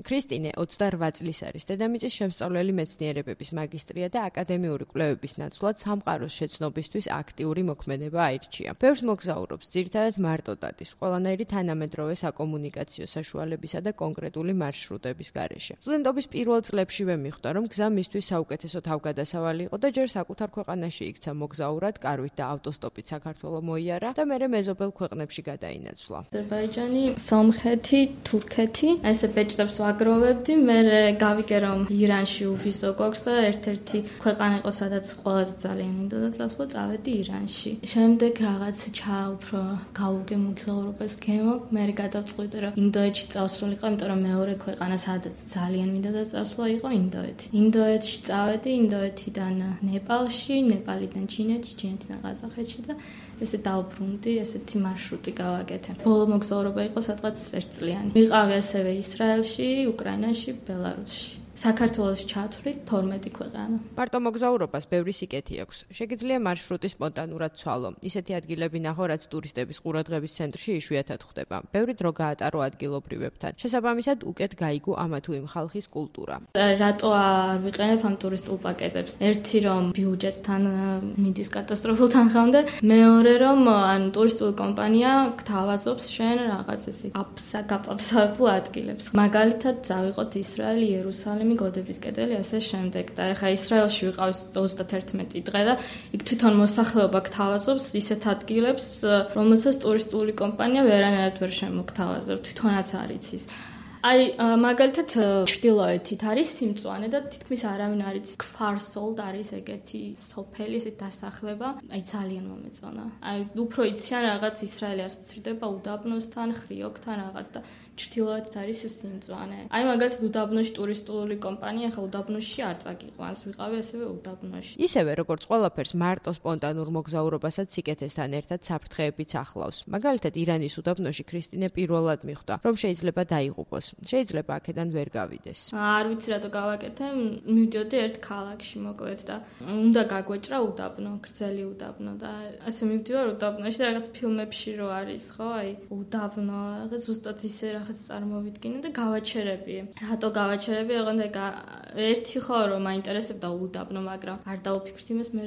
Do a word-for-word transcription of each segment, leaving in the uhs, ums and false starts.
ქრისტინე ოცდაორ წლის არის, დედამიწის შემსწავლელი მეცნიერებების მაგისტრია და აკადემიური კვლევების ნაცვლად სამყაროს შეცნობისთვის აქტიური მოქმედება აირჩია. ბევრს მოგზაურობს, ძირითადად მარტო დადის, ყველანაირი თანამედროვე საკომუნიკაციო საშუალებისა და კონკრეტული მარშრუტების გარეშე. სტუდენტობის პირველ წლებშივე მიხვდა, რომ გზა მისთვის საუკეთესო თავგადასავალი იყო და ჯერ საკუთარ ქვეყანაში იქცა მოგზაურად, კარვით და ავტოსტოპით საქართველო მოიარა და მერე მეზობელ ქვეყნებში გადაინაცვლა. აზერბაიჯანი, სომხეთი, თურქეთი, ესე ბეჭდებს ვაგროვებდი, მე გავიგე რომ ირანში უბიზო გვაქვს და ერთ-ერთი ქვეყანა იყო სადაც ყველაზე ძალიან მინდოდა წასვლა, წავედი ირანში. შემდეგ რაღაც ჩაუფრო გავუგე მოგზაურობას გემო, მე გადავწყვიტე რომ ინდოეთში წავსულიყო, იმიტომ რომ მეორე ქვეყანა სადაც ძალიან მინდოდა წასვლა იყო ინდოეთი. ინდოეთში წავედი, ინდოეთიდან ნეპალში, ნეპალიდან ჩინეთში, ჩინეთიდან ყაზახეთში და ესე დავბრუნდი, ესეთი მარშრუტი გავაკეთე. ბოლო მოგზაურობა იყო სადღაც ერთწლიანი. ვიყავი ასევე ისრაელში, უკრაინაში, ბელარუსში. საქართველოში ჩათვლით თორმეტი ქვეყანა. მარტო მოგზაურობას ბევრი სიკეთი აქვს. შეგიძლია მარშრუტი სპონტანურად ცვალო. ისეთი ადგილები ნახო, რაც ტურისტების ყურადღების ცენტრში იშვიათად ხდება. ბევრი დრო გაატარო ადგილობრივებთან. შესაბამისად, უკეთ გაიგო ამა თუ იმ ხალხის კულტურა. რატო არ ვიყენებ ამ ტურისტულ პაკეტებს? ერთი რომ ბიუჯეტთან მიდის კატასტროფულ თანხამდე, მეორე რომ ან ტურისტული კომპანია გთავაზობს შენ რაღაც ესე აფსაგაპაფსავებულ ადგილებს. მაგალითად, წავიყოთ ისრაელი, იერუსალიმი, გოდების კედელი, ასე შემდეგ. და ეხა ისრაელში ვიყავს ოცდათერთმეტი დღე და იქ თვითონ მოსახლეობა გთავაზობს ისეთ ადგილებს, რომელსაც ტურისტული კომპანია ვერანაირად ვერ შემოგთავაზებს, თვითონაც არ იცის. აი, მაგალითად, ჩრდილოეთით არის სიმწვანე და თითქმის არავინ არ იცის. ქფარ-სოლდ არის ეგეთი სოფელი, ესეთი დასახლება, აი ძალიან მომეწონა. აი, უფრო იციან რაღაც ისრაელი ასოცირდება უდაბნოსთან, ხრიოკთან რაღაც და ჩრდილოეთით არის სიმწვანე. აი, მაგალითად, უდაბნოში ტურისტული კომპანია, ხა უდაბნოში არ წაგიყვანს, ვიყავი ასევე უდაბნოში. ისევე როგორც ყველაფერს მარტო სპონტანურ მოგზაურობასაც სიკეთესთან ერთად საფრთხეებიც ახლავს. მაგალითად, ირანის უდაბნოში ქრისტინე პირველად მიხვდა, რომ შეიძლება დაიღუპოს. შეიძლება აქედან ვერ გავიდეს. არ ვიცი რატო გავაკეთე, მივდიოდი ერთ ქალაქში მოკლედ და უნდა გაგვეჭრა უდაბნო, გრძელი უდაბნო და ასე მივდივარ უდაბნოში და რაღაც ფილმებში რო არის, ხო, აი, უდაბნო, რაღაც ზუსტად ისე რაღაც წარმოვიდგინე და გავაჩერები. რატო გავაჩერები? ოღონდ ერთი ხო რომ მაინტერესებდა უდაბნო, მაგრამ არ დავფიქრდი იმას, მე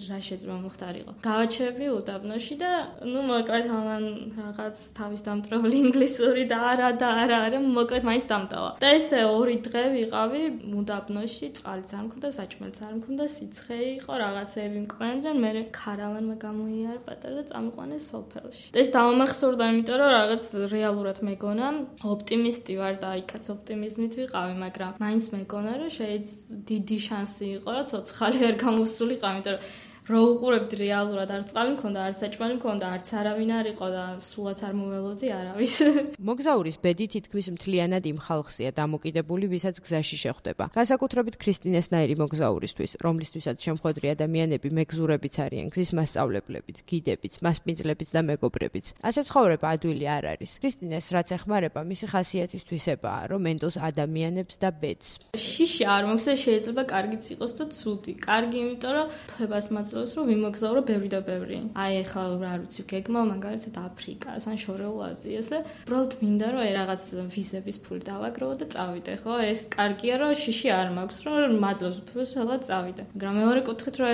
რა შეძმა მოხდარიყო. გავაჩერები უდაბნოში და ნუ მოკლედ ამან რაღაც თავის დამტრეული ინგლისური და არა და არა არა მოკლედ მაინც დამტავა. და ესე ორი დღე ვიყავი უდაბნოში, წყალიც არ მქონდა, საჭმელიც არ მქონდა, სიცხე იყო, რაღაცეები მკვენდნენ, მე ქარავანმა გამოიარა პატარა და წამიყვანეს სოფელში. და ეს დავამახსოვრდა, იმიტომ რომ რაღაც რეალურად მეგონა, ოპტიმისტი ვარ და იქაც ოპტიმიზმით ვიყავი, მაგრამ მაინც მეგონა, რომ შეიძლება დიდი შანსი იყო, რომ ცოცხალი ვერ გამოსულიყო, იმიტომ რომ რო უყურებდი რეალურად არც წყალი მქონდა, არც საჭმელი მქონდა, არც არავინ არ იყო და სულაც არ მოველოდი არავის. მოგზაურის ბედი თითქმის მთლიანად იმ ხალხზეა დამოკიდებული, ვისაც გზაში შეხვდება. განსაკუთრებით ქრისტინესნაირი მოგზაურისთვის, რომლისთვისაც შემხვედრი ადამიანები მეგზურებიც არიან, გზის მასწავლებლებიც, გიდებიც, მასპინძლებიც და მეგობრებიც. ასე ცხოვრება ადვილი არ არის. ქრისტინეს რაც ეხმარება, მისი ხასიათისთვისებაა, რომ ენტოს ადამიანებს და ბედს. შიში არ მოხდა, შეიძლება კარგიც იყოს და ცუდი. კარგი, იმიტომ რომ ფებას რომ ვიმოგზავრო ბევრი და ბევრი. აი ახლა რა ვიცი, გეგმა მაგალითად აფრიკას ან შორეულ აზიას და უბრალოდ მინდა რომ აი რაღაც ვიზების ფული დავაგროვო და წავიდე, ხო? ეს კარგია რომ შიში არ მაქვს, რომ მაძლევს უფლებას რაღაც წავიდე. მაგრამ მეორე კუთხით რომ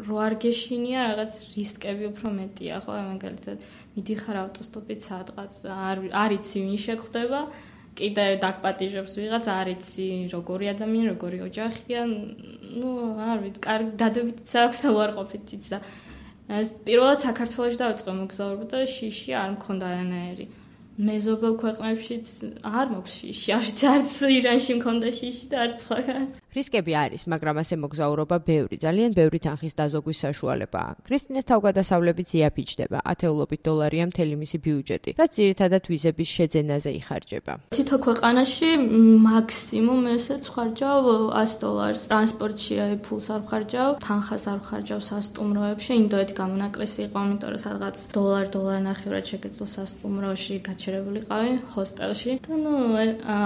რო არ გეშინია რაღაც რისკები უფრო მეტია, ხო? მაგალითად მიდიხარ ავტოსტოპით სადღაც არ არ იცი ვინ შეგხვდება. კიდე დაგპატიჟებს ვიღაც, არ იცი როგორი ადამიანი, როგორი ოჯახია, ну, არ ვიცი, კარგი დადებითიც აქვს და უარყოფითიც და ეს პირველად საქართველოში დავიწყე მოგზაურობა და შიში არ მქონდა არანაირი. მეზობელ ქვეყნებშიც არ მოქვს შიში, არც ირანში მქონდა შიში და არც სხვაგან. რისკები არის, მაგრამ ასე მოგზაურობა ბევრი, ძალიან ბევრი თანხის დაზოგვის საშუალებაა. ქრისტინეს თავგადასავლებით იაფიჩდება, ათეულობით დოლარია მთელი მისი ბიუჯეტი, რაც ძირითადად ვიზების შეძენაზე იხარჯება. თითო ქვეყანაში მაქსიმუმ ესეც ხარჯავ ასი დოლარს. ტრანსპორტში ფულს არ ხარჯავ, თანხას არ ხარჯავ სასტუმროებში. ინდოეთი გამონაკლისი იყო, იმიტომ რომ სადღაც დოლარ, დოლარ ნახევრად შეგეძლო სასტუმროში გაჩერებულიყავი ჰოსტელში. და ნუ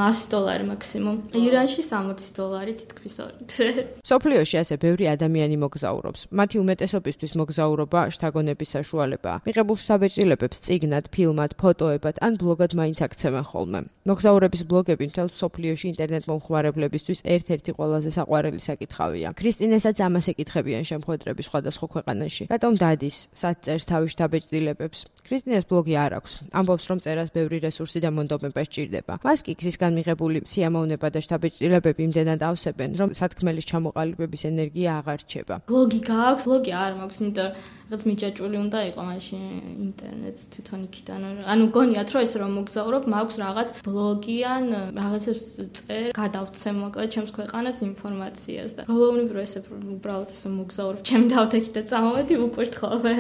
ასი დოლარი მაქსიმუმ. ირანში სამოცი დოლარი თითქოს თქვის ორი თვე. სოფლიოში ასე ბევრი ადამიანი მოგზაურობს. მათი უმეტესობისთვის მოგზაურობა შთაგონების საშუალებაა. მიღებულ საბეჭდილებებს წიგნად, ფილმად, ფოტოებად ან ბლოგად მაინც აქცევენ ხოლმე. მოგზაურების ბლოგები მთელ სოფლიოში ინტერნეტ მომხმარებლებისთვის ერთ-ერთი ყველაზე საყვარელი საკითხავია. ქრისტინესაც ამას ეკითხებიან შემოხვედრების სხვადასხვა ქვეყანაში. რატომ დადის, სად წერს თავის შთაბეჭდილებებს? ქრისტინეს ბლოგი არ აქვს. ამბობს, რომ წერას ბევრი რესურსი და მონდომება სჭირდება. მას კი გზისგან მიღებული სიამოვნება და შთაბეჭდილებები იმდენად ავსებენ, რომ სათქმელის ჩამოყალიბების ენერგია აღარ რჩება. ბლოგი გააქვს, ბლოგი არ მაქვს, იმიტომ რაღაც მიჯაჭვული უნდა იყო მაშინ ინტერნეტს თვითონ იქიდან. ანუ გონიათ რომ ეს რომ მოგზაურობ, მაქვს რაღაც ბლოგი ან რაღაცებს წერ, გადავცე მოკლედ ჩემს ქვეყანას ინფორმაციას და რომლებრივ ესე უბრალოდ ესე მოგზაურობ, ჩემი დავდექი და წამოვედი უკურთხოვე.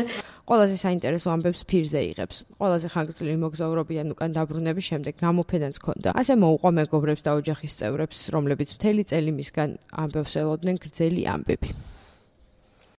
ყველაზე საინტერესო ამბებს ფირზე იღებს. ყველაზე ხანგრძლივი მოგზაურობიდან უკან დაბრუნების შემდეგ გამოფენაც ჰქონდა. ასე მოუყვა მეგობრებს და ოჯახის წევრებს, რომლებიც მთელი წელი მისგან ამბებს ელოდნენ გრძელი ამბები.